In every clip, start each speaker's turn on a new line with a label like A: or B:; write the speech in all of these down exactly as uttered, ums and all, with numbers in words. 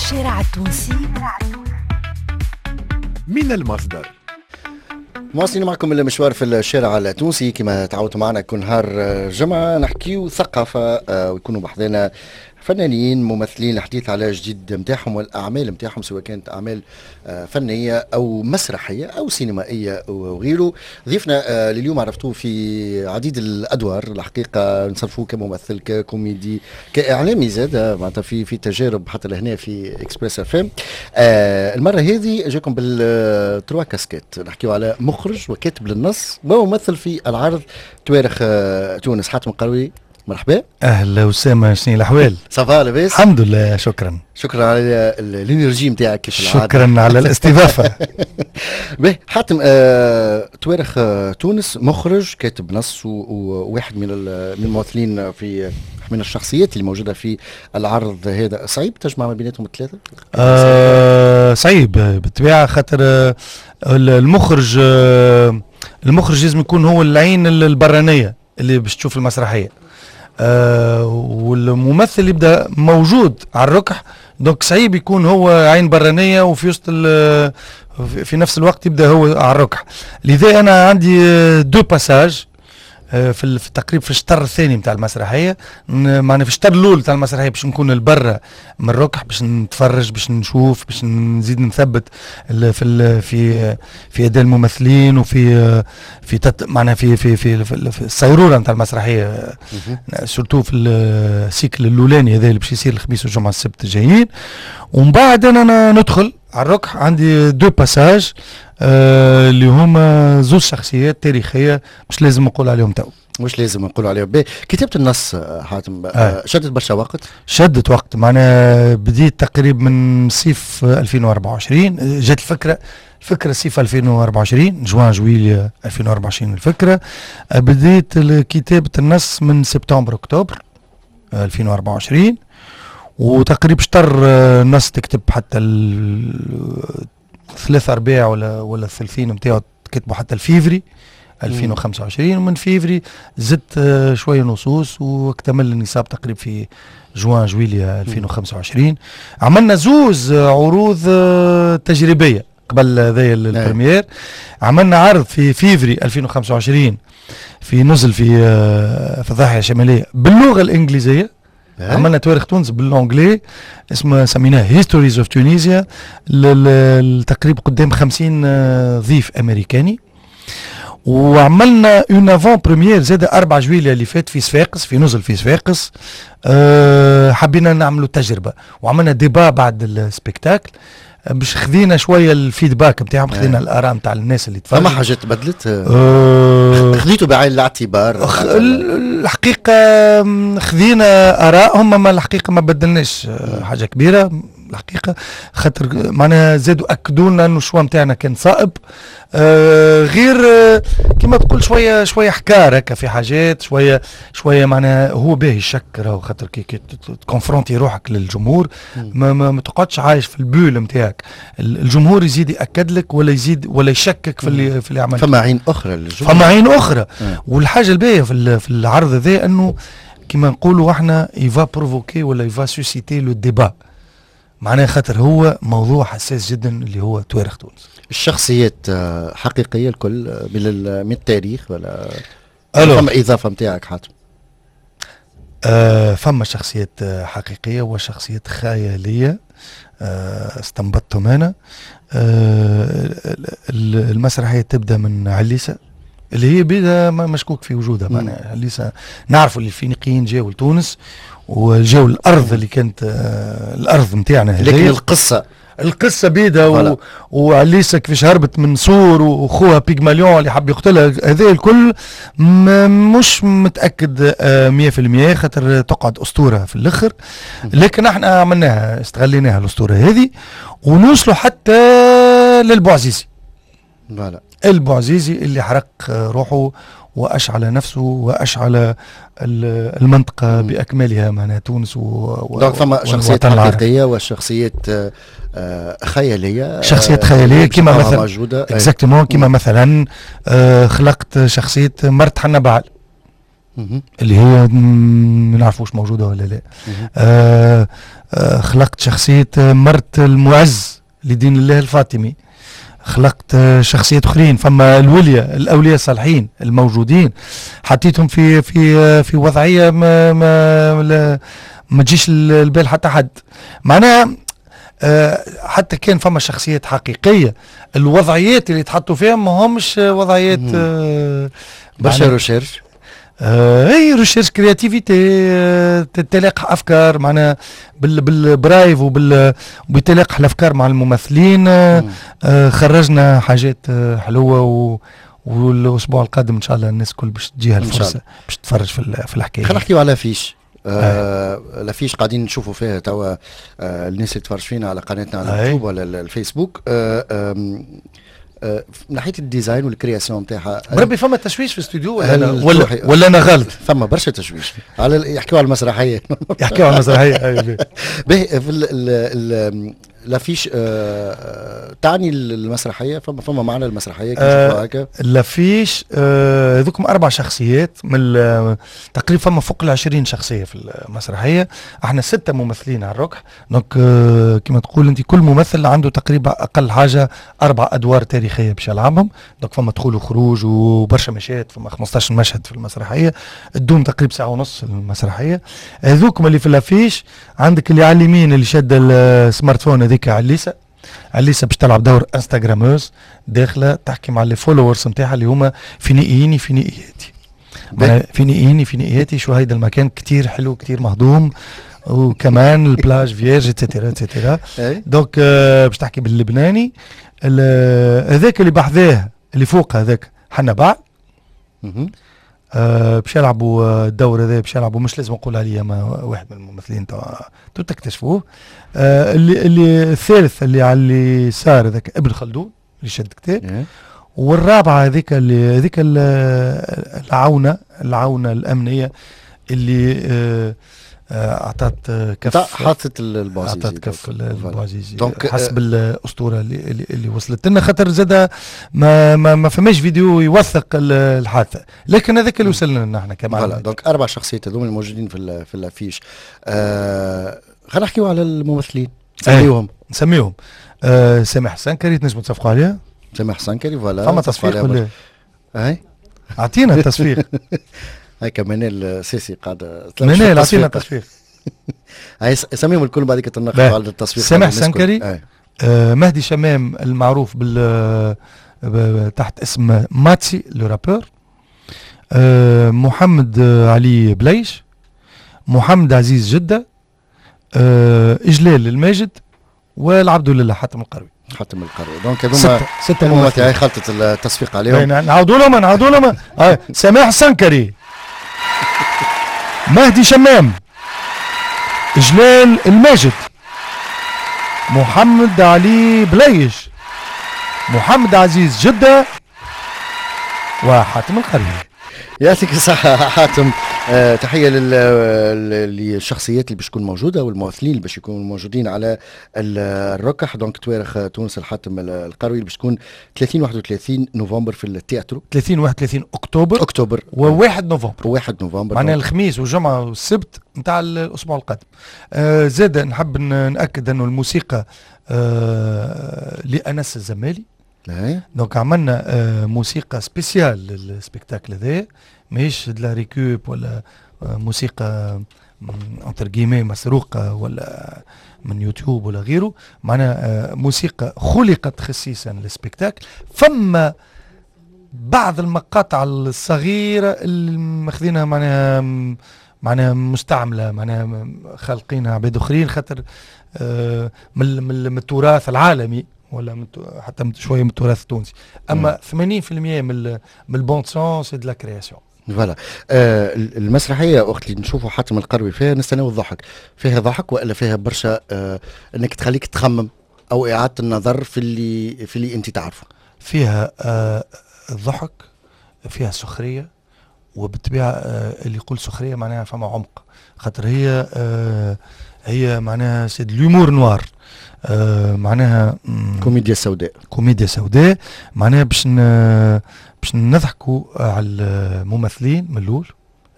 A: الشارع التونسي
B: من المصدر.
C: مواصلين معكم المشوار في الشارع التونسي، كما تعودتوا معنا كل نهار جمعة نحكيو ثقافة آه، ويكونوا بحذانا فنانين ممثلين، الحديث على جديد نتاعهم والاعمال نتاعهم، سواء كانت اعمال آه، فنية او مسرحية او سينمائية وغيره. ضيفنا آه، لليوم عرفتوه في عديد الادوار، الحقيقة نصنفوه كممثل، ككوميدي، كاعلامي زاد، معناتها في في تجارب حتى لهنا في Express FM. المرة هذه جاكم بال trois casquettes، نحكيو على مخرج وكاتب للنص وممثل في العرض توارخ آه، تونس. حاتم القروي، مرحبا.
D: اهلا وسهلا، شنو الاحوال؟
C: ça va، لاباس؟
D: الحمد لله، شكرا.
C: شكرا على l'énergie نتاعك كيف
D: العاده. شكرا على الاستضافه.
C: باهي حاتم، آه، توارخ آه، تونس، مخرج، كاتب نص، وواحد من من الممثلين في من الشخصيات اللي موجودة في العرض هذا. صعيب تجمع ما بيناتهم الثلاثة؟
D: آه صعيب بالطبيعه، خاطر آه، المخرج آه المخرج لازم يكون هو العين البرانيه اللي باش تشوف المسرحيه، آه والممثل يبدا موجود على الركح، donc صعيب يكون هو عين برانيه وفي وسط في نفس الوقت يبدا هو على الركح. لذا انا عندي deux passages آه، في التقريب في الشطر الثاني نتاع المسرحيه، معناها في الشطر الاول نتاع المسرحية باش نكون البرة من الركح، باش نتفرج، باش نشوف، باش نزيد نثبت في في في اداء الممثلين وفي في تت معناها في في في, في الصيروره نتاع المسرحيه، surtout في ال cycle الاولاني هذا اللي باش يصير الخميس والجمعة السبت الجايين. ومن بعد انا ندخل على الركح، عندي deux passages آه اللي هما زوج شخصيات تاريخيه، مش لازم نقول عليهم تو.
C: مش لازم نقول عليهم. كتابة النص حاتم آه. شدت برشا وقت؟
D: شدت وقت، معناها بديت تقريبا من صيف ألفين وأربعة وعشرين. جات الفكرة الفكرة صيف ألفين وأربعة وعشرين، جوان جويلية ألفين وأربعة وعشرين الفكرة. بديت كتابة النص من سبتمبر اكتوبر ألفين وأربعة وعشرين، وتقريبا شطر النص تكتب، حتى ثلاثة ارباع ولا ولا الثلثين نتاعو كتبوا حتى الفيفري ألفين وخمسة وعشرين. ومن فيفري زدت شوية نصوص واكتمل النصاب تقريبا في جوان جويليا ألفين وخمسة وعشرين. عملنا زوز عروض تجريبية قبل هذايا ال première. عملنا عرض في فيفري ألفين وخمسة وعشرين في نزل في في الضاحية الشمالية باللغة الانجليزيه. عملنا تواريخ تونس بال anglais، اسمه سميناه Histories of Tunisia، تقريبا قدام خمسين ضيف امريكاني. وعملنا une avant-première زاد أربعة جويلية اللي فات في صفاقس، في نزل في صفاقس. أه حبينا نعملوا تجربه وعملنا débat بعد ال spectacle باش خذينا شوية ال feedback نتاعهم، خذينا الاراء نتاع الناس اللي
C: تفرجوا. فما حاجات تبدلت؟ أه خذيتوا بعين الاعتبار؟
D: الحقيقة خذينا ارائهم، ما الحقيقة ما بدلناش حاجة كبيرة الحقيقه، خاطر معناها زادوا اكدوا لنا انه ال choix نتاعنا كان صائب. آه غير آه كما تقول شوية شوية حكار هكا في حاجات شوية شويه. معناها هو باهي الشك راهو، خاطر كي, كي ت confronter روحك للجمهور ما, ما, ما تقعدش عايش في ال bulle نتاعك. الجمهور يزيد ياكد لك ولا يزيد ولا يشكك في اللي في اللي عملته.
C: فما عين اخرى
D: للجمهور، فما عين اخرى. والحاجة الباهيه في, في العرض هذا انه كما نقولوا احنا il va provoquer ولا il va susciter le débat، معناها خاطر هو موضوع حساس جدا اللي هو تواريخ تونس.
C: الشخصيات آه، حقيقية الكل آه، من من التاريخ ولا فما اضافه نتاعك حاتم؟
D: آه فما شخصيات آه، حقيقية وشخصيات خيالية آه استنبطتهم انا. آه المسرحية تبدا من عليسه اللي هي بيدها مشكوك في وجودها. معناها عليسه، نعرفوا اللي الفينيقيين جاوا لتونس وجاوا الارض اللي كانت آه الارض نتاعنا.
C: لكن القصه؟
D: القصة بيدها و... وعليسه كيفاش هربت من سور وخوها بيغماليون اللي حب يقتلها، هذا الكل مش متاكد مية في المية، خاطر تقعد اسطورة في الاخر. لكن احنا عملناها، استغليناها الاسطورة هذه ونوصلوا حتى للبوعزيزي.
C: voilà.
D: البوعزيزي اللي حرق روحه واشعل نفسه واشعل المنطقة باكملها، معناها تونس.
C: و donc فما شخصيات حقيقية وشخصيات آه، خياليه.
D: شخصيات خيالية كما مثلا
C: موجوده.
D: exactement، كما مثلا آه، خلقت شخصية مرت حنبعل اللي هي ما نعرفوش موجودة ولا لا. آه آه خلقت شخصية مرت المعز لدين الله الفاطمي، خلقت شخصيات اخرين، فما الولية الاولياء الصالحين الموجودين حطيتهم في في في وضعية ما ما ما تجيش البال حتى حد. معناها حتى كان فما شخصيات حقيقية، الوضعيات اللي تحطوا فيها ما همش وضعيات
C: برشا recherche،
D: اي recherche créativité، تلاقح افكار معناها بال preuve وبال وبتلاقح الافكار مع الممثلين. آه خرجنا حاجات حلوة و والاسبوع القادم ان شاء الله الناس الكل باش تجيها الفرصة باش تتفرج في في الحكاية.
C: خلينا نحكيو على l'affiche. آه l'affiche قاعدين نشوفوا فيها توا، آه الناس اللي تفرج فينا على قناتنا على اليوتيوب ولا الفيسبوك. آه آه من ناحية ال design وال création نتاعها،
D: بربي فما تشويش في الاستوديو ولا أنا ولا, ولا انا غلط؟
C: فما برشا تشويش على يحكيوا على المسرحية.
D: يحكيوا على المسرحية.
C: باهي، في l'affiche آه تعني المسرحية، فما فما معنى المسرحية كي
D: آه هكا l'affiche؟ آه هذوكم اربع شخصيات من تقريبا فما فوق ال عشرين شخصية في المسرحية. احنا ستة ممثلين على الركح، donc آه كما تقول انت كل ممثل عنده تقريبا اقل حاجة اربع ادوار تاريخية باش يلعبهم. donc فما دخول وخروج وبرشا مشاهد، فما خمسطاش مشهد في المسرحية، تدوم تقريبا ساعة ونص المسرحية. هذوكم اللي في l'affiche، عندك اللي على اليمين اللي شاد ال smartphone هذيك عليسه، عليسه باش تلعب دور instagrameuse داخله تحكي مع les followers نتاعها اللي هما فينيقييني فينيقياتي، فينيقييني فينيقياتي، شو هيدا المكان كتير حلو كتير مهضوم، وكمان ال plage vierge et cetera et cetera. donc باش تحكي باللبناني. هذاك اللي بحذاه اللي فوق هذاك حنبعل آه باش يلعبوا الدور هذا، باش يلعبوا مش لازم نقول عليه، ما واحد من الممثلين تو تكتشفوه. آه اللي اللي الثالث اللي على اليسار هذاك ابن خلدون اللي شد كتاب، والرابعة هذيك اللي هذيك العونه العونه الامنية اللي آه اعطت كف،
C: حطت البوعزيزي،
D: اعطت كف البوعزيزي حسب الاسطورة اللي اللي, اللي وصلت لنا، خاطر زاد ما ما, ما فماش فيديو يوثق الحادثة، لكن هذاك اللي وصل لنا احنا
C: كمان. donc اربع شخصيات هذوما الموجودين في في l'affiche. آه خلينا نحكيو على الممثلين، نسميوهم.
D: نسميوهم آه سامح سنكري، تنجموا تصفقوا عليه.
C: سامح سنكري voilà.
D: فما تصفيق ولا؟
C: اي
D: اعطينا التصفيق.
C: هيك منال سيسي قاعدة.
D: منال اعطينا التصفيق.
C: هاي سميهم الكل بعد تناقشوا على التصفيق.
D: سامح سنكري، آه مهدي شمام المعروف بال تحت اسم ماتسي le rappeur، آه محمد علي بليش، محمد عزيز جدة، آه إجلال الماجد، والعبد لله حاتم القروي.
C: حاتم القروي. donc هذوما ستة ممثلين خلطت التصفيق عليهم.
D: نعاودوا لهم نعاودوا لهم. سماح سنكري، مهدي شمام، جلال الماجد، محمد علي بليش، محمد عزيز جدة، وحاتم القروي.
C: يعطيك الصحة حاتم. آه تحية للشخصيات اللي باش تكون موجودة والممثلين اللي باش يكونوا موجودين على الركح. donc توارخ تونس الحاتم القروي اللي باش تكون ثلاثين واحد وثلاثين نوفمبر في التياترو،
D: ثلاثين واحد وثلاثين اكتوبر
C: اكتوبر
D: وواحد نوفمبر،
C: وواحد نوفمبر
D: معناها الخميس والجمعة والسبت نتاع الاسبوع القادم. آه زاد نحب ناكد انه الموسيقى آه لانس الزمالي. donc عملنا آه موسيقى spéciale لل spectacle هذايا، ماهيش de la récup ولا موسيقى entre guillemets مسروقه ولا من يوتيوب ولا غيره، معناها موسيقى خلقت خصيصا لل spectacle. فما بعض المقاطع الصغيرة اللي ماخذينها معناها معناها مستعملة، معناها خالقينها عباد اخرين، خاطر من من التراث العالمي ولا حتى شوية من التراث التونسي. اما ثمانين بالمية من من ال bande son c'est de la création.
C: voilà. آه المسرحية وقت اللي نشوفوا حاتم القروي فيها نستناو الضحك، فيها ضحك والا فيها برشا آه انك تخليك تخمم او اعاده النظر في اللي في اللي انت تعرفه؟
D: فيها آه الضحك، فيها سخرية، وبالطبيعه آه اللي يقول سخرية معناها فما عمق، خاطر هي آه هي معناها c'est de l'humour noir، آه معناها
C: كوميديا سوداء.
D: كوميديا سوداء معناها باش باش نضحكوا على الممثلين من الاول.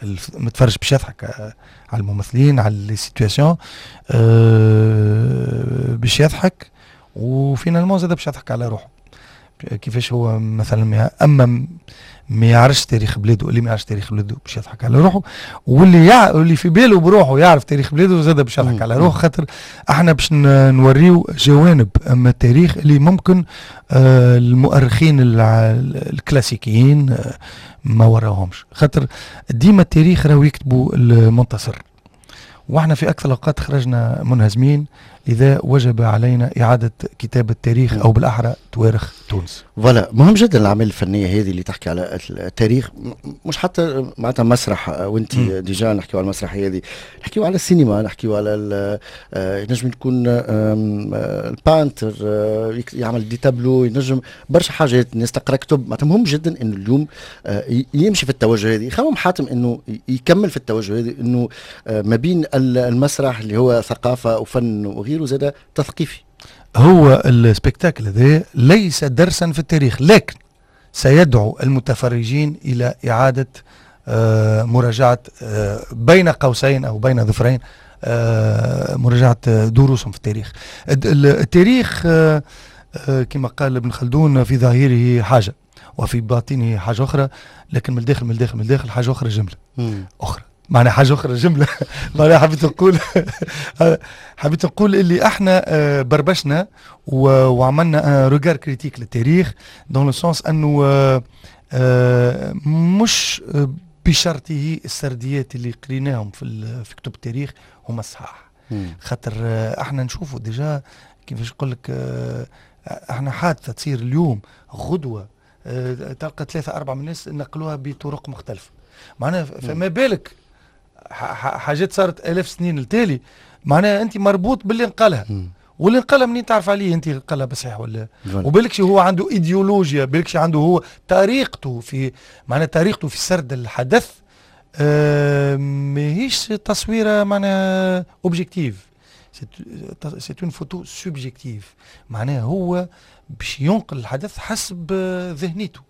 D: المتفرج باش يضحك آه، على الممثلين، على les situations، باش يضحك و finalement زاد باش يضحك على روحه كيفاش هو مثلا اما ما يعرفش تاريخ بلاده. اللي ما يعرفش تاريخ بلاده باش يضحك على روحه، واللي يع... واللي في باله بروحه يعرف تاريخ بلاده زاد باش يضحك على روحه، خاطر احنا باش نوريو جوانب اما التاريخ اللي ممكن آه المؤرخين الكلاسيكيين آه ما وراهمش، خاطر ديما التاريخ راهو يكتبوا المنتصر، واحنا في اكثر الاوقات خرجنا منهزمين، لذا وجب علينا اعاده كتابه التاريخ او بالاحرى توارخ تونس.
C: voilà، مهم جدا الاعمال الفنية هذه اللي تحكي على التاريخ، مش حتى معناتها مسرح، وانت déjà نحكيو على المسرحية هذه، نحكيو على السينما، نحكيو على آه، ينجم يكون ال peintre آه، يعمل des tableaux، ينجم برشا حاجات، الناس تقرا كتب. معناتها مهم جدا انه اليوم آه، يمشي في التوجه هذه. خمم حاتم انه يكمل في التوجه هذه، انه ما بين المسرح اللي هو ثقافة وفن وغيره زاد تثقيفي؟
D: هو ال spectacle هذا ليس درسا في التاريخ، لكن سيدعو المتفرجين الى اعاده آه، مراجعه آه، بين قوسين او بين ظفرين آه، مراجعه دروسهم في التاريخ. التاريخ كما قال ابن خلدون في ظاهره حاجة وفي باطنه حاجة اخرى، لكن من الداخل من الداخل من الداخل حاجة اخرى جملة اخرى، معناها حاجة اخرى جمله. معناها حبيت نقول حبيت نقول اللي احنا آه، بربشنا وعملنا regard critique للتاريخ dans le sens انه آه، آه، مش بشرطه السرديات اللي قريناهم في في كتب التاريخ هما الصحاح، خاطر احنا نشوفوا déjà كيفاش نقول لك، احنا حادثه تصير اليوم، غدوه تلقى ثلاثة اربعة من الناس نقلوها بطرق مختلفه. معناها فما بالك حاجات صارت الاف سنين التالي؟ معناها انت مربوط باللي نقلها، واللي نقلها منين تعرف عليه انت نقلها بصحيح ولا؟ وبالكش هو عنده ايديولوجيا، بالكش عنده هو طريقته في معناها طريقته في سرد الحدث آه ماهيش تصويره معناها objective، c'est une photo subjective. معناها هو باش ينقل الحدث حسب ذهنيته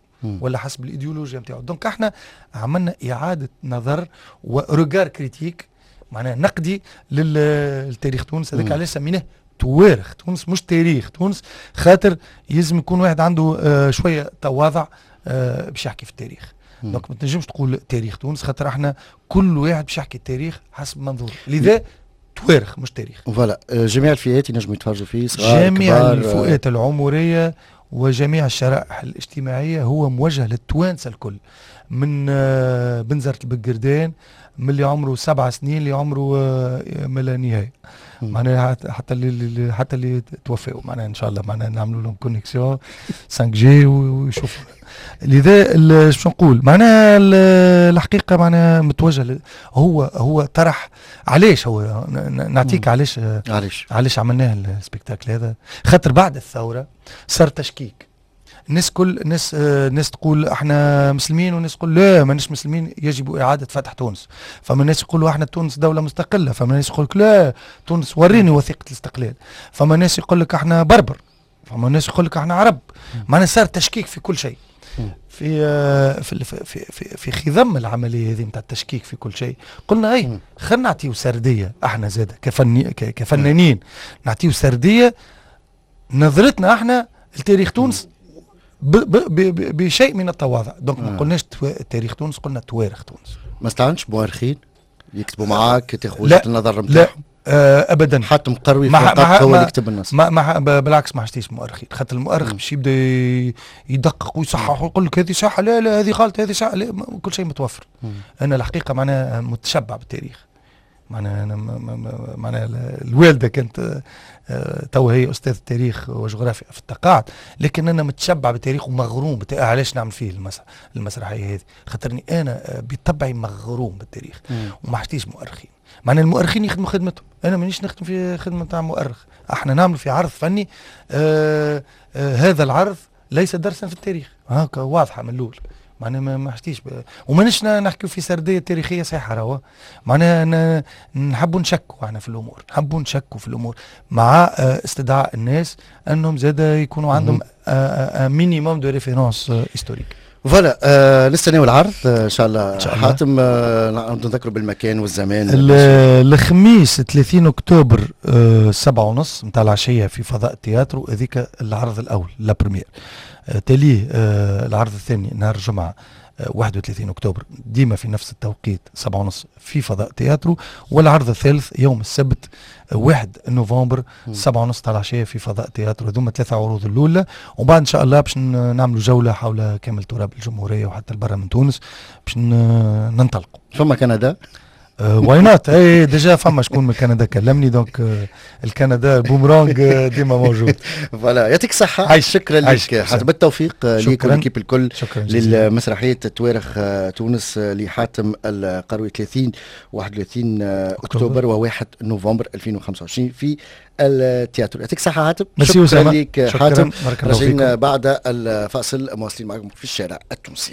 D: ولا حسب الايديولوجيا نتاعو. donc احنا عملنا اعاده نظر و regard critique، معناها نقدي للتاريخ تونس. هذاك علاش سميناه توارخ تونس مش تاريخ تونس، خاطر يلزم يكون واحد عنده آه شوية تواضع آه باش يحكي في التاريخ. donc ما تنجمش تقول تاريخ تونس، خاطر احنا كل واحد باش يحكي التاريخ حسب منظور، لذا توارخ مش تاريخ.
C: voilà، آه، جميع الفئات ينجموا يتفرجوا فيه؟
D: صغار، جميع الفئات العمرية وجميع الشرائح الاجتماعيه. هو موجه للتوانسه الكل، من آه، بنزرت البقردان، من اللي عمره سبع سنين اللي عمره آه، ما لا نهايه، معناها حتى اللي حتى اللي توفوا، معناها ان شاء الله معناها نعملوا لهم connexion خمسة جي ويشوفوا. لذا شو نقول، معناها الحقيقة معناها متوجه، هو هو طرح. علاش هو نعطيك علاش؟
C: علاش؟
D: علاش عملناه ال spectacle هذا؟ خاطر بعد الثورة صار تشكيك، الناس كل الناس الناس تقول احنا مسلمين، والناس تقول لا ماناش مسلمين، يجب اعاده فتح تونس. فما ناس يقولوا احنا تونس دولة مستقله، فما ناس يقول لا تونس وريني وثيقة الاستقلال، فما ناس يقول لك احنا بربر، فما ناس يقول لك احنا عرب. معناها صار تشكيك في كل شيء. في في في في, في خضم العملية هذه نتاع التشكيك في كل شيء قلنا اي خلينا نعطيو سردية احنا زاد كفني كفنانين، نعطيو سردية نظرتنا احنا لتاريخ تونس ب ب ب بشيء من التواضع. donc ما قلناش تاريخ تونس، قلنا توارخ تونس.
C: ما استعنتش مؤرخين يكتبوا معاك، تاخذ وجهه النظر
D: نتاعهم؟ آه ابدا.
C: حاتم قروي فقط هو اللي يكتب النص؟
D: ما ما بالعكس، ما حاجتيش مؤرخين، خاطر المؤرخ باش يبدا يدقق ويصحح ويقول لك هذه صح، لا لا هذه غلط، هذه صح، لا، كل شيء متوفر. مم. انا الحقيقة معناها متشبع بالتاريخ، معناها انا معناها الوالدة كانت آه، تو هي استاذ تاريخ وجغرافيا في التقاعد، لكن انا متشبع بالتاريخ ومغروم. علاش نعمل فيه المسرحية هذه؟ خاطرني انا آه، بطبعي مغروم بالتاريخ وما حاجتيش مؤرخين. معناها المؤرخين يخدموا خدمتهم، انا مانيش نخدم في خدمة تاع مؤرخ. احنا نعمل في عرض فني، آه آه هذا العرض ليس درسا في التاريخ، هكا واضحة من الاول. معناها ما حشتيش ومانيش نحكيو في سردية تاريخية صحيحه راهو. معناها نحبوا نشكوا احنا في الامور، نحبوا نشكوا في الامور مع آه، استدعاء الناس انهم زاد يكونوا عندهم minimum de références historiques.
C: voilà، آه نستناو العرض آه، ان شاء الله. إن شاء الله. حاتم، آه نذكروا بالمكان والزمان.
D: الخميس ثلاثين اكتوبر، آه سبعة ونص نتاع العشية في فضاء التياترو، هذيك العرض الاول la première. آه تاليه آه العرض الثاني نهار الجمعة واحد وثلاثين اكتوبر، ديما في نفس التوقيت سبعة ونص في فضاء تياترو، والعرض الثالث يوم السبت واحد نوفمبر سبعة ونص تاع العشية في فضاء تياترو. هذوما ثلاثة عروض الاولى، وبعد ان شاء الله باش نعملوا جولة حول كامل تراب الجمهورية وحتى البرة من تونس باش ننطلقوا.
C: فما كندا؟
D: why not؟ اي déjà فما شكون من كندا كلمني، donc الكندا بومرانج ديما موجود.
C: voilà، يعطيك الصحة، شكرا لك حاتم، بالتوفيق ليك وال équipe الكل.
D: شكرا.
C: للمسرحية توارخ تونس لحاتم القروي، ثلاثين واحد وثلاثين اكتوبر وواحد نوفمبر ألفين وخمسة وعشرين في التياترو. يعطيك الصحة حاتم.
D: شكرا
C: لك حاتم. راجعين بعد الفاصل، مواصلين معكم في الشارع التونسي.